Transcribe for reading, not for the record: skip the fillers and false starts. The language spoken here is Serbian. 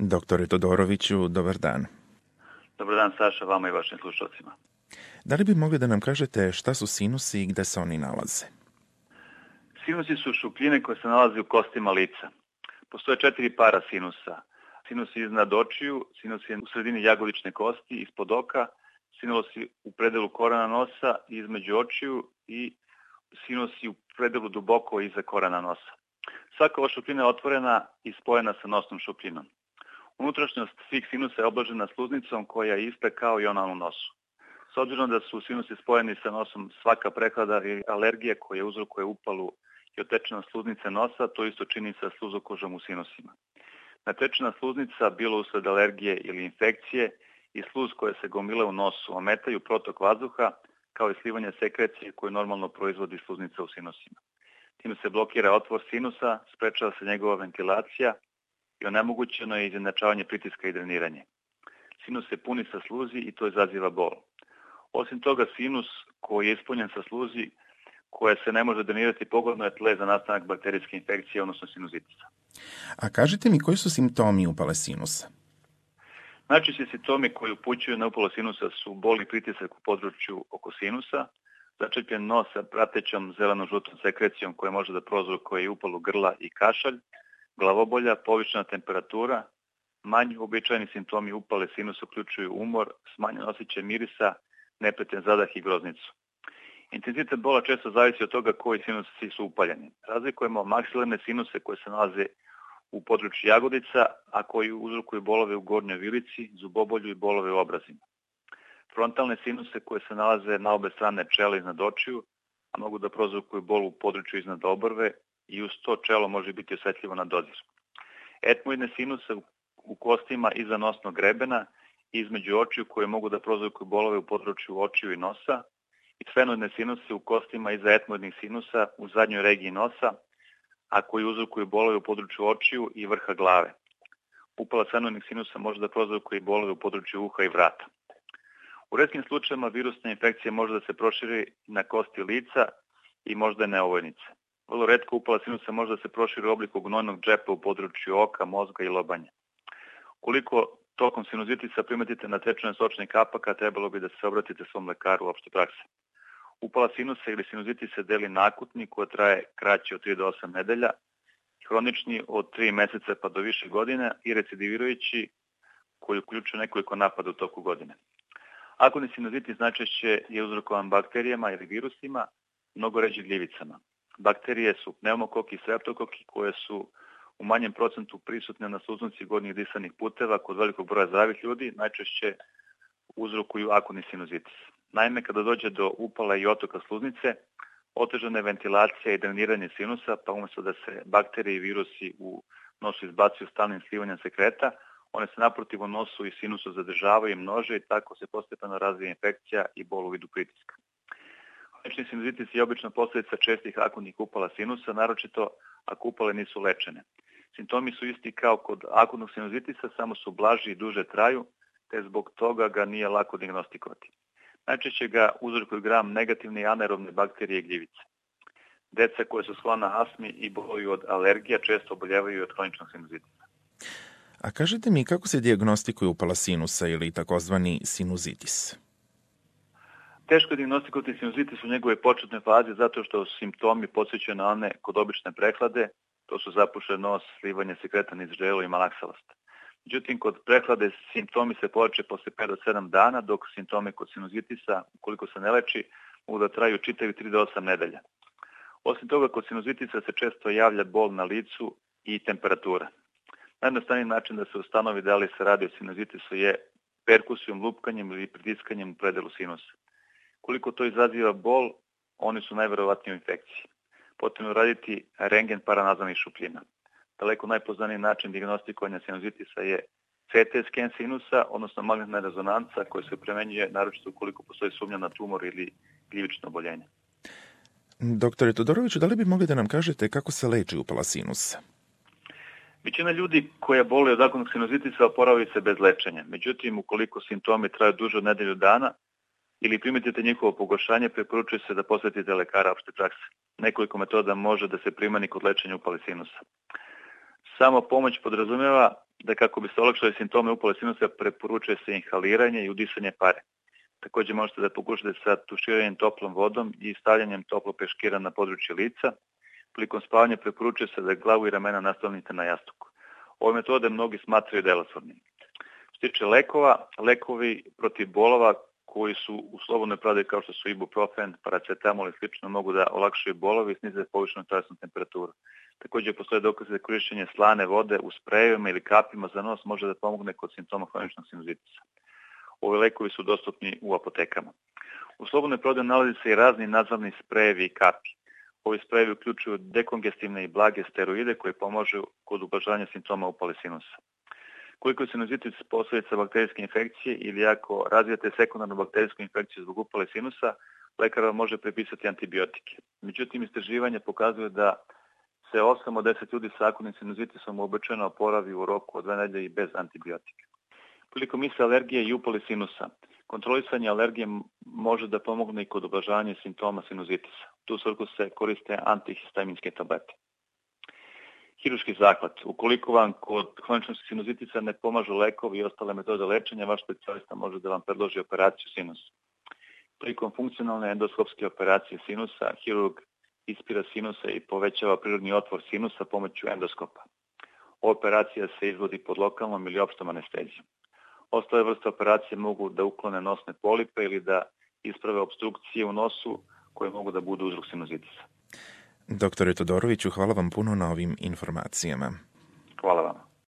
Doktore Todoroviću, dobar dan. Dobar dan, Saša, vama i vašim slušalcima. Da li bi mogli da nam kažete šta su sinusi i gde se oni nalaze? Sinusi su šupljine koje se nalaze u kostima lica. Postoje 4 para sinusa. Sinus iznad očiju, sinus u sredini jagodične kosti, ispod oka, sinusi u predelu korena nosa, između očiju i sinusi u predelu duboko iza korena nosa. Svaka ova šupljina je otvorena i spojena sa nosnom šupljinom. Unutrašnjost svih sinusa je obložena sluznicom koja je ista kao i ona u nosu. S obzirom da su sinusi spojeni sa nosom, svaka prehlada i alergija koja uzrokuje upalu i otečenost sluznice nosa, to isto čini sa sluzokožom u sinusima. Natečena sluznica, bilo usled alergije ili infekcije, i sluz koje se gomile u nosu ometaju protok vazduha, kao i slivanje sekrecije koju normalno proizvodi sluznica u sinusima. Time se blokira otvor sinusa, sprečava se njegova ventilacija i onemogućeno je izjednačavanje pritiska i dreniranje. Sinus se puni sa sluzi i to izaziva bol. Osim toga, sinus koji je ispunjen sa sluzi koja se ne može drenirati pogodno je tle za nastanak bakterijske infekcije, odnosno sinuzitisa. A kažite mi koji su simptomi upale sinusa? Najčešći simptomi koji upućuju na upalu sinusa su bol i pritisak u području oko sinusa, začepljen nos sa pratećom zeleno-žutom sekrecijom koja može da prouzrokuje upalu grla i kašalj, glavobolja, povišena temperatura. Manji uobičajeni simptomi upale sinusa uključuju umor, smanjen osjećaj mirisa, neprijatan zadah i groznicu. Intenzitet bola često zavisi od toga koji sinusi su upaljeni. Razlikujemo maksilarne sinuse koje se nalaze u području jagodica, a koji uzrokuju bolove u gornjoj vilici, zubobolju i bolove u obrazima. Frontalne sinuse koje se nalaze na obe strane čela iznad očiju, a mogu da prouzrokuju bol u području iznad obrve i uz to čelo može biti osetljivo na dodir. Etmoidne sinuse u kostima iza nosnog grebena i između očiju koje mogu da prouzrokuju bolove u području očiju i nosa, i sfenoidne sinuse u kostima iza etmoidnih sinusa u zadnjoj regiji nosa, a koji uzrokuju bolove u području očiju i vrha glave. Upala sfenoidnih sinusa može da prouzrokuje i bolove u području uha i vrata. U retkim slučajevima virusna infekcija može da se proširi na kosti lica i možda neovojnice. Vrlo retko upala sinusa može da se proširi u obliku gnojnog džepa u području oka, mozga i lobanje. Koliko tokom sinuzitisa primetite natečene sočnih kapaka, trebalo bi da se obratite svom lekaru opšte prakse. Upala sinusa ili sinuzitis se deli na akutni koja traje kraće od 3 do 8 nedelja, hronični od 3 meseca pa do više godine i recidivirajući koji uključuje nekoliko napada u toku godine. Akutni sinuzitis najčešće je uzrokovan bakterijama ili virusima, mnogo ređe gljivicama. Bakterije su pneumokoki i streptokoki koje su u manjem procentu prisutne na sluznici gornjih disanih puteva kod velikog broja zdravih ljudi, najčešće uzrokuju akutni sinuzitis. Naime, kada dođe do upala i otoka sluznice, otežana je ventilacija i dreniranje sinusa, pa umjesto da se bakterije i virusi u nosu izbacuju stalnim slivanjem sekreta, one se naprotiv u nosu i sinusu zadržavaju i množe i tako se postepeno razvija infekcija i bol u vidu pritiska. Hronični sinuzitis je obično posljedica čestih akutnih upala sinusa, naročito ako upale nisu lečene. Simptomi su isti kao kod akutnog sinuzitisa, samo su blaži i duže traju, te zbog toga ga nije lako dijagnostikovati. Najčešće ga uzrokuju gram negativne i anaerobne bakterije i gljivice. Deca koje su sklona astmi i boluju od alergija često oboljevaju od hroničnog sinuzitisa. A kažete mi kako se dijagnostikuje upala sinusa ili takozvani sinuzitis? Teško je dijagnostikovati sinuzitis u njegove početne faze zato što simptomi podsjećaju na one kod obične prehlade, to su zapušen nos, slivanje sekreta niz ždelo i malaksavost. Međutim, kod prehlade simptomi se pojače posle 5 do 7 dana, dok simptomi kod sinuzitisa, ukoliko se ne leči, mogu da traju čitavi 3 do 8 nedelja. Osim toga, kod sinuzitisa se često javlja bol na licu i temperatura. Najjednostavniji način da se ustanovi da li se radi o sinuzitisu je perkusijom, lupkanjem ili pritiskanjem u predelu sinusa. Koliko to izaziva bol, oni su najverovatniji u infekciji. Potrebno je raditi rengen paranazalnih šupljina. Daleko najpoznaniji način dijagnostikovanja sinuzitisa je CT sken sinusa, odnosno magnetna rezonanca koja se primenjuje naročito ukoliko postoji sumnja na tumor ili gljivično oboljenje. Doktore Todoroviću, da li bi mogli da nam kažete kako se leči upala sinusa? Većina ljudi koja boluje od akutnog sinuzitisa oporavaju se bez lečenja. Međutim, ukoliko simptomi traju duže od nedelju dana ili primetite njihovo pogoršanje, preporučuje se da posvetite lekara opšte prakse. Nekoliko metoda može da se primani kod lečenja upale sinusa. Samo pomoć podrazumijeva da kako bi se olakšali simptome upale sinusa preporučuje se inhaliranje i udisanje pare. Također možete da pokušate sa tuširanjem toplom vodom i stavljanjem toplog peškira na područje lica. Prilikom spavanja preporučuje se da glavu i ramena nastavite na jastuku. Ove metode mnogi smatraju delotvornim. Što se tiče lekova, lekovi protiv bolova koji su u slobodnoj prodaji kao što su ibuprofen, paracetamol i slično mogu da olakšaju bolove i snize povišenu telesnu temperaturu. Također postoje dokaze da korišćenje slane vode u sprejevima ili kapima za nos može da pomogne kod simptoma hroničnog sinuzitisa. Ovi lekovi su dostupni u apotekama. U slobodnoj prodaji nalazi se i razni nazavni sprejevi i kapi. Ovi sprejevi uključuju dekongestivne i blage steroide koji pomažu kod ublažavanja simptoma upale sinusa. Koliko je sinuzitis posljedica bakterijske infekcije ili ako razvijate sekundarnu bakterijsku infekciju zbog upale sinusa, lekar vam može prepisati antibiotike. Međutim, istraživanje pokazuje da se 8 od 10 ljudi sa akutnim sinuzitisom uobičajeno oporavi u roku od 2 nedelje i bez antibiotika. Prilikom iste alergije i upale sinusa, kontrolisanje alergije može da pomogne i kod ublažavanja simptoma sinuzitisa. Tu svrhu se koriste antihistaminske tablete. Hiruški zahvat. Ukoliko vam kod hroničnog sinuzitisa ne pomažu lekovi i ostale metode lečenja, vaš specijalista može da vam predloži operaciju sinusa. Prilikom funkcionalne endoskopske operacije sinusa, hirurg ispira sinusa i povećava prirodni otvor sinusa pomoću endoskopa. Operacija se izvodi pod lokalnom ili opštom anestezijom. Ostale vrste operacije mogu da uklone nosne polipe ili da isprave opstrukcije u nosu koje mogu da budu uzrok sinuzitisa. Doktore Todoroviću, hvala vam puno na ovim informacijama. Hvala vam.